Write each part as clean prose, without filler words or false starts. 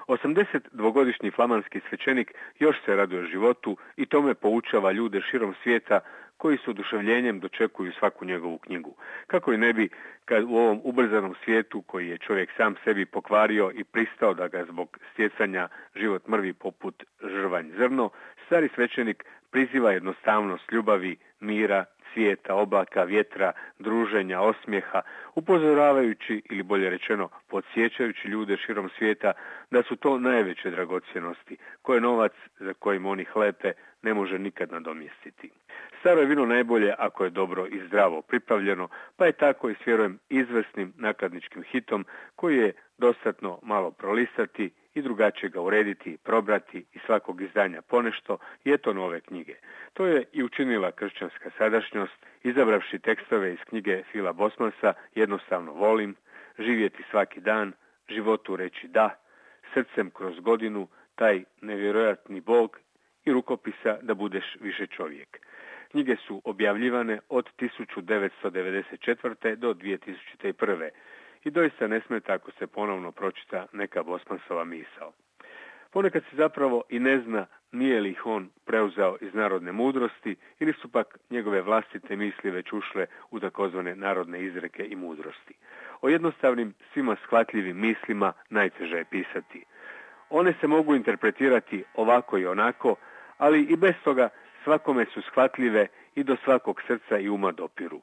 82-godišnji flamanski svećenik još se raduje životu i tome poučava ljude širom svijeta koji s oduševljenjem dočekuju svaku njegovu knjigu. Kako i ne bi, kad u ovom ubrzanom svijetu koji je čovjek sam sebi pokvario i pristao da ga zbog stjecanja život mrvi poput žrvanj zrno, stari svećenik priziva jednostavnost ljubavi, mira, svijeta, oblaka, vjetra, druženja, osmijeha, upozoravajući ili bolje rečeno podsjećajući ljude širom svijeta da su to najveće dragocjenosti, koje novac za kojim oni hlepe ne može nikad nadomjestiti. Staro je vino najbolje ako je dobro i zdravo pripravljeno, pa je tako i s vjerujem izvrsnim nakladničkim hitom koji je dostatno malo prolistati i drugačije ga urediti, probrati i svakog izdanja ponešto i eto nove knjige. To je i učinila kršćanska sadašnjost, izabravši tekstove iz knjige Phila Bosmansa Jednostavno volim, Živjeti svaki dan, Životu reći da, Srcem kroz godinu, Taj nevjerojatni Bog i rukopisa Da budeš više čovjek. Knjige su objavljivane od 1994. do 2001. I doista ne smeta ako se ponovno pročita neka Bosmansova misao. Ponekad se zapravo i ne zna nije li ih on preuzeo iz narodne mudrosti ili su pak njegove vlastite misli već ušle u takozvane narodne izreke i mudrosti. O jednostavnim, svima shvatljivim mislima najteže je pisati. One se mogu interpretirati ovako i onako, ali i bez toga svakome su shvatljive i do svakog srca i uma dopiru.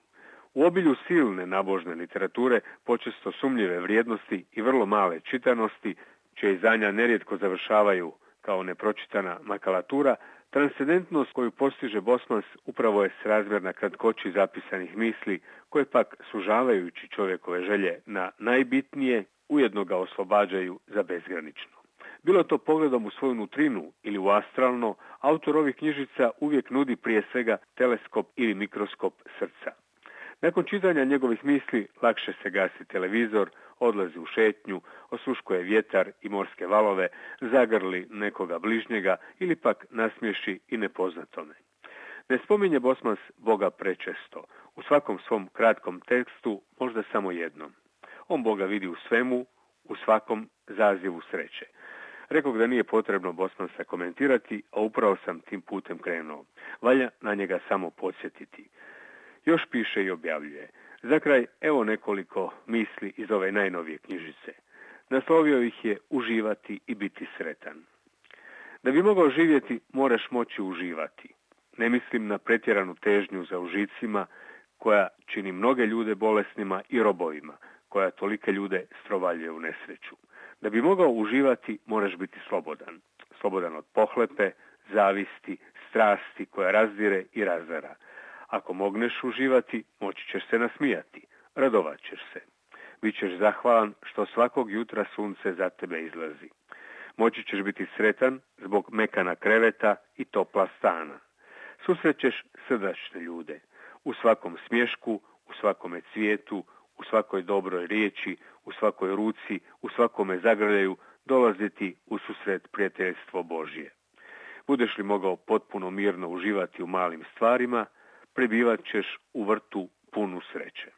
U obilju silne nabožne literature, počesto sumnjive vrijednosti i vrlo male čitanosti, čije izdanja nerijetko završavaju kao nepročitana makalatura, transcendentnost koju postiže Bosmans upravo je srazmjerna kratkoći zapisanih misli, koje pak sužavajući čovjekove želje na najbitnije, ujedno ga oslobađaju za bezgranično. Bilo to pogledom u svoju nutrinu ili u astralno, autor ovih knjižica uvijek nudi prije svega teleskop ili mikroskop srca. Nakon čitanja njegovih misli lakše se gasi televizor, odlazi u šetnju, osluškuje vjetar i morske valove, zagrli nekoga bližnjega ili pak nasmiješi i nepoznatome. Ne spominje Bosmans Boga prečesto, u svakom svom kratkom tekstu možda samo jednom. On Boga vidi u svemu, u svakom zazivu sreće. Rekao da nije potrebno Bosmansa komentirati, a upravo sam tim putem krenuo. Valja na njega samo podsjetiti. Još piše i objavljuje. Za kraj, evo nekoliko misli iz ove najnovije knjižice. Naslovio ih je Uživati i biti sretan. Da bi mogao živjeti, moraš moći uživati. Ne mislim na pretjeranu težnju za užicima, koja čini mnoge ljude bolesnima i robovima, koja tolike ljude strovaljuje u nesreću. Da bi mogao uživati, moraš biti slobodan. Slobodan od pohlepe, zavisti, strasti koja razdire i razara. Ako mogneš uživati, moći ćeš se nasmijati, radovat ćeš se. Bićeš zahvalan što svakog jutra sunce za tebe izlazi. Moći ćeš biti sretan zbog mekana kreveta i topla stana. Susrećeš srdačne ljude. U svakom smješku, u svakome cvijetu, u svakoj dobroj riječi, u svakoj ruci, u svakome zagrljaju dolaziti u susret prijateljstvo Božje. Budeš li mogao potpuno mirno uživati u malim stvarima, prebivat ćeš u vrtu punu sreće.